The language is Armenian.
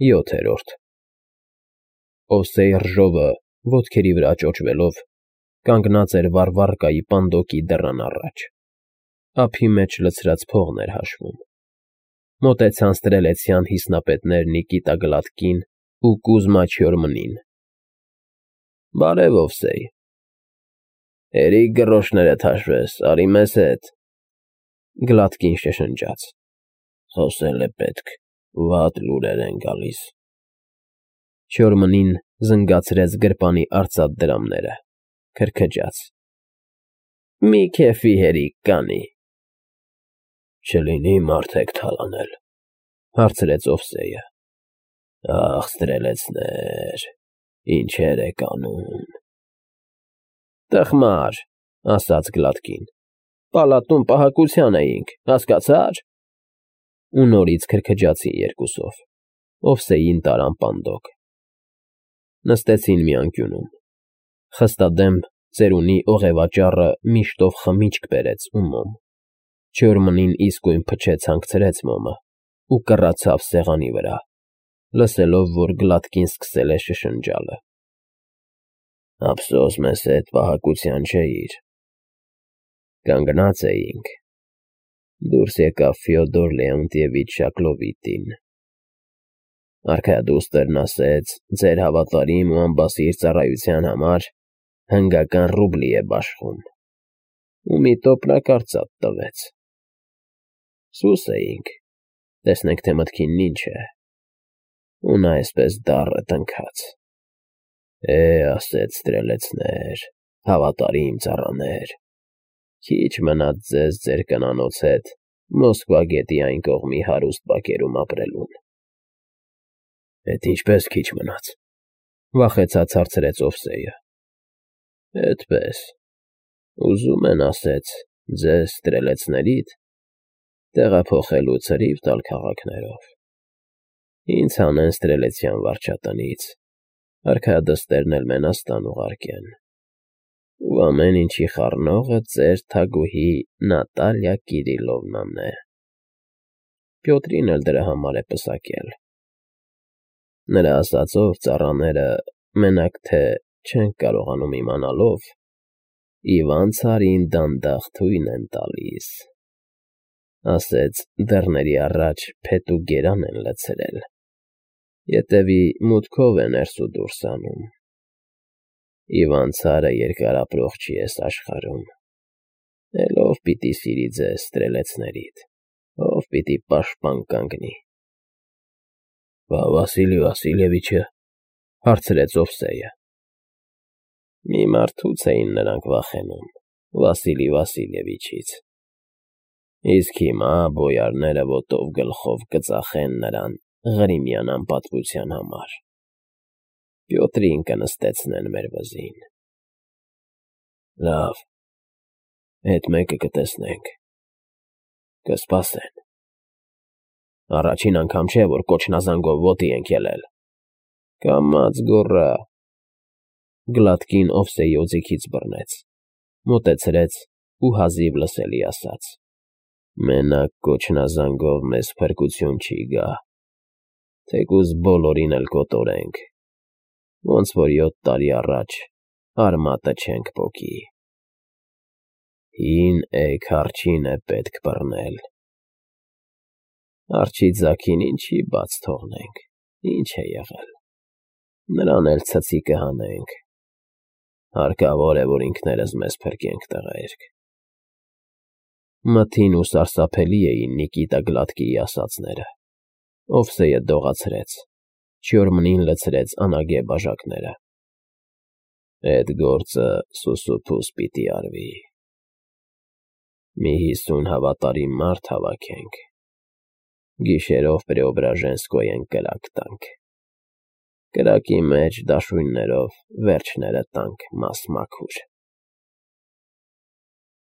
7-րդ Օսեյ Ռժովը, ոտքերի վրա ճոճվելով, կանգնած էր Վառվառկայի պանդոկի դռան առաջ, ափի մեջ լցրած փողն էր հաշվում, մոտեցան ստրելեցյան հիսնապետներ Նիկիտա Գլատկին ու Կուզմա Չյորմնին։ Բարև, Օվսեյ, հերիք գռոշներդ հաշվես, արի մեզ հետ, Գլատկին շշնջաց, խոսել է պետք, վատ լուրեր են գալիս։ Չյորմնին զնգացրեց գրպանի արծաթ դրամները, քրքջաց. Մի քեֆի հերիք կանի։ Չլինի մարդ եք թալանել, հարցրեց Օվսեյը։ Ախ, ստրելեցներ, ինչեր եք անում։ Տխմար, ասաց Գլատկին, պալատում պահակության էինք, հասկացա՞ր։ Ու նորից քրքջացին երկուսով, Օվսեյին տարան պանդոկ։ Նստեցին մի անկյունում, խստադեմ ծերունի օղևաճառը միշտով խմիչք բերեց ու մոմ, Չյորմնին իսկույն փչեց հանգցրեց մոմը ու կռացավ սեղանի վրա, լսելով, որ Գլատկին սկսել է շշնջալը։ Ափսոս մեզ հետ պահակության չէիր։ Կանգնած էինք։ Դուրս եկավ Ֆյոդոր Լեոնտիևիչ Շակլովիտին։ Արքայադուստրն ասեց, ձեր հավատարիմ ու անբասիր ծառայության համար հնգական ռուբլի է բաշխում ու մի տոպրակ արծաթ տվեց։ Սուս էինք, տեսնենք, թե մտքինն ինչ է։ Ու նա այսպես դառը տնքաց. ասեց ստրելեցներ, հավատարիմ ծառաներ, քիչ մնաց ձեզ ձեր կնանոց հետ Մոսկվա գետի այն կողմի հարուստ բակերում ապրելուն։ Էդ ինչպես քիչ մնաց, վախեցած հարցրեց Օվսեյը։ Էդպես, ուզում են, ասեց, ձեզ ստրելեցներիդ տեղափոխելու ցրիվ տալ քաղաքներով։ Ինձ հանեն ստրելեցյան վարչատնից, արքայադստերն էլ Մենաստան ուղարկեն։ Ու ամեն ինչի խառնողը ձեր թագուհի Նատալիա Կիրիլովնան է։ Պյոտրին էլ դրա համար է պսակել։ Նրա ասածով ծառաները մենակ թե չեն կարողանում իմանալով, Իվան ցարին դանդաղ թույն են տալիս, ասեց դռների առաջ փետ ու գերան են լցրել, ետևի մուտքով է ներս ու դուրս անում։ Իվան ցարը երկար ապրող չի էս աշխարհում, էլ ով պիտի սիրի ձեզ ստրելեցներիդ, ով պիտի պաշտպան կանգնի։ Վասիլի Վասիլևիչը, հարցրեց Օվսեյը։ Մի մարդուց էին նրանք վախենում, Վասիլի Վասիլևիչից։ Իսկ հիմա բոյարները ոտով գլխով կծախեն նրան Ղրիմյան անպատվության համար։ Պյոտրին կնստեցնեն մեր վզին։ Լավ, հետ մեկը կտեսնենք, կսպասեն։ Առաջին անգամ չէ, որ կոչնազանգով ոտի ենք ելել։ Կամաց գոռա։ Գլատկին Օվսեյի օձիքից բռնեց, մոտեցրեց ու հազիվ լսելի ասաց. Մենակ կոչնազանգով մեզ փրկություն չի գա, թեկուզ բոլորին էլ կոտորենք, ոնց որ 7 տարի առաջ արմատը չենք պոկի։ Հին էգ արջին է պետք բռնել։ Արջի ձագին ինչի բաց թողնենք, ինչ է եղել, նրան էլ ցցի կհանենք, հարկավոր է, որ ինքներս մեզ փրկենք տղերք։ Մթին ու սարսափելի էին Նիկիտա Գլատկիի ասածները, Օվսեյը դողացրեց, Չյորմնին լցրեց անագե բաժակները։ Էդ գործը սուսուփուս պիտի արվի։ Մի 50 հավատարիմ մարդ հավաքենք, գիշերով Պրեոբրաժենսկոյեն կրակ տանք, կրակի մեջ դաշույններով վերջները տանք մաս մաքուր։